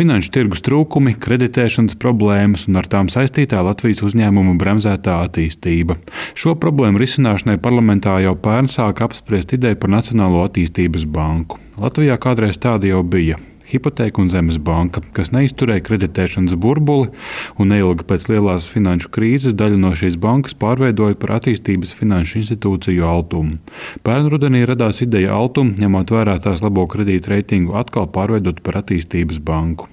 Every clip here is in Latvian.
finanšu tirgus trūkumi, kreditēšanas problēmas un ar tām saistītā Latvijas uzņēmumu bremzētā attīstība. Šo problēmu risināšanai parlamentā jau pērn sāka apspriest ideju par Nacionālo attīstības banku. Latvijā kādreiz tāda jau bija. Hipotēku un zemes banka, kas neizturēja kreditēšanas burbuli un neilgi pēc lielās finanšu krīzes daļu no šīs bankas pārveidoja par attīstības finanšu institūciju Altumu. Pērn rudenī radās ideja Altumu, ņemot vērā tās labo kredītu reitingu, atkal pārveidot par attīstības banku.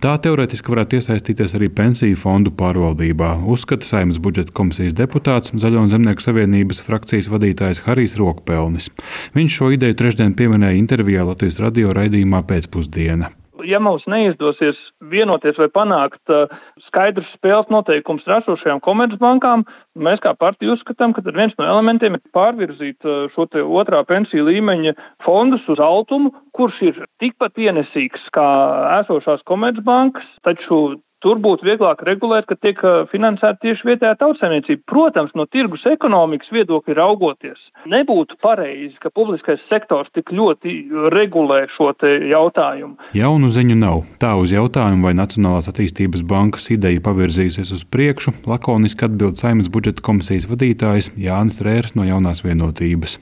Tā teorētiski varētu iesaistīties arī pensiju fondu pārvaldībā, uzskata Saeimas budžeta komisijas deputāts, Zaļo un Zemnieku savienības frakcijas vadītājs Harijs Rokpelnis. Viņš šo ideju trešdien pieminēja intervijā Latvijas radio raidījumā Pēcpusdiena. Ja mums neizdosies vienoties vai panākt skaidrs spēles noteikums ražošajām komercbankām, mēs kā partija uzskatām, ka viens no elementiem ir pārvirzīt šo otrā pensiju līmeņa fondus uz Altumu, kurš ir tikpat ienesīgs kā esošās komercbankas, taču tur būtu vieglāk regulēt, ka tiek finansēta tieši vietējā tautsaimniecība. Protams, no tirgus ekonomikas viedokļa raugoties, nebūtu pareizi, ka publiskais sektors tik ļoti regulē šo jautājumu. Jaunu ziņu nav. Tā uz jautājumu, vai Nacionālās attīstības bankas ideja pavirzīsies uz priekšu, lakoniski atbild Saeimas budžeta komisijas vadītājs Jānis Rērs no Jaunās vienotības.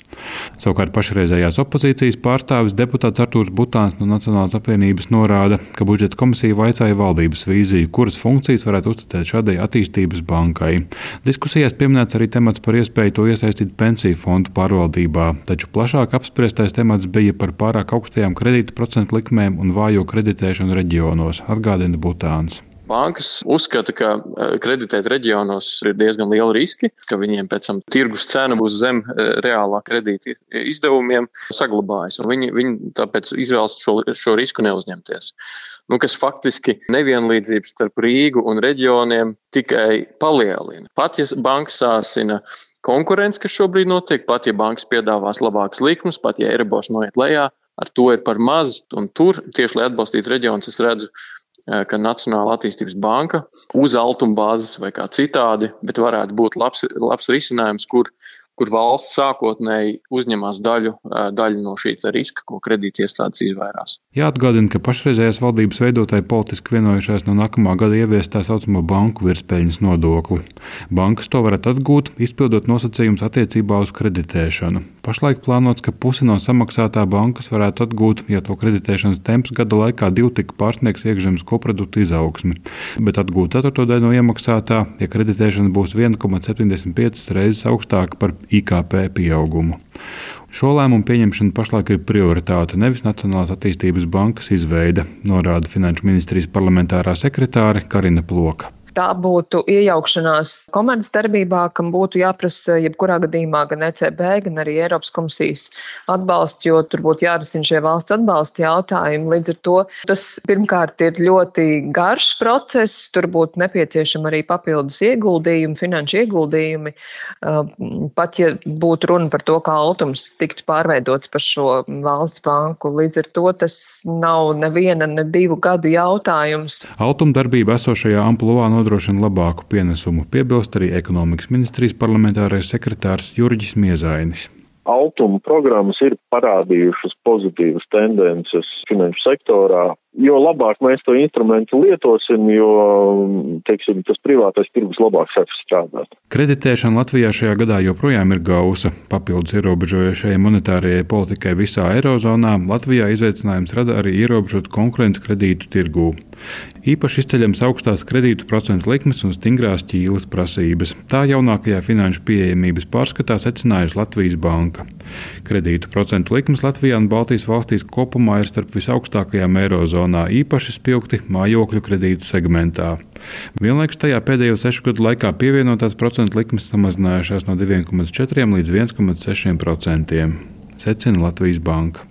Savukārt pašreizējās opozīcijas pārstāvis deputāts Artūrs Butāns no Nacionālās apvienības norāda, ka budžeta komisija vaicāja valdības vīziju, kuras funkcijas varētu uzticēt šādai attīstības bankai. Diskusijās pieminēts arī temats par iespēju to iesaistīt pensiju fondu pārvaldībā, taču plašāk apspriestais temats bija par pārāk augstajām kredītu procentu likmēm un vājo kreditēšanu reģionos, atgādina Butāns. Bankas uzskata, ka kreditēt reģionos ir diezgan liela riski, ka viņiem pēc tam tirgus cena būs zem reālā kredīta izdevumiem saglabājas. Viņi tāpēc izvēlas šo risku neuzņemties. Kas faktiski nevienlīdzības starp Rīgu un reģioniem tikai palielina. Pat ja banka sāsina konkurence, kas šobrīd notiek, pat ja bankas piedāvās labākas likmes, pat ja Eiribors noiet lejā, ar to ir par maz. Un tur, tieši lai atbalstītu reģionus, es redzu, ka Nacionāla attīstības banka uz Altuma bāzes vai kā citādi, bet varētu būt labs risinājums, kur valsts sākotnēji uzņemās daļu no šī riska, ko kredītiestādes izvairās. Jāatgādina, ka pašreizējās valdības veidotāji politiski vienojušās no nākamā gada ieviest tā saucamo banku virspeļņas nodokli. Bankas to varētu atgūt, izpildot nosacījumus attiecībā uz kreditēšanu. Pašlaik plānots, ka pusi no samaksātā bankas varētu atgūt, ja to kreditēšanas temps gada laikā divtiki pārsniegs iekšzemes koprodukta izaugsmi, bet atgūt ceturto daļu no iemaksātā, ja kreditēšana būs 1,75 reizes augstāka par IKP pieaugumu. Šo lēmumu pieņemšana pašlaik ir prioritāte, nevis Nacionālās attīstības bankas izveide, norāda Finanšu ministrijas parlamentārā sekretāre Karina Ploka. Tā būtu iejaukšanās komercdarbībā, kam būtu jāprasa jebkurā gadījumā gan ECB, gan arī Eiropas komisijas atbalsts, jo tur būtu jārisina šie valsts atbalsta jautājumi. Līdz ar to tas pirmkārt ir ļoti garš process, tur būtu nepieciešama arī papildus ieguldījumi, finanšu ieguldījumi. Pat ja būtu runa par to, kā Altums tiktu pārveidots par šo valsts banku, līdz ar to tas nav neviena, ne 2 gadu jautājums. Altuma darbība esošajā ampulvā nodrošina labāku pienesumu, piebilst arī ekonomikas ministrijas parlamentārais sekretārs Jurģis Miezainis. Altuma programmas ir parādījušas pozitīvas tendences finanšu sektorā. Jo labāk mēs to instrumentu lietosim, jo, tas privātais tirgus labāk sāks strādāt. Kreditēšana Latvijā šajā gadā joprojām ir gausa. Papildus ierobežojošajai monetārajai politikai visā Eirozonā Latvijā izaicinājums rada arī ierobežot konkurenci kredītu tirgū. Īpaši izceļams augstās kredītu procentu likmes un stingrās ķīlas prasības. Tā jaunākajā finanšu pieejamības pārskatā secinājusi Latvijas banka. Kredītu procentu likmes Latvijā un Baltijas valstīs kopumā ir starp visaugstākajām Eirozonā, īpaši spilgti mājokļu kredītu segmentā. Vienlaikus tajā pēdējo 6 gadu laikā pievienotās procentu likmes samazinājušās no 2,4 līdz 1,6%, secina Latvijas banka.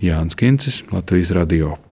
Jānis Kincis, Latvijas radio.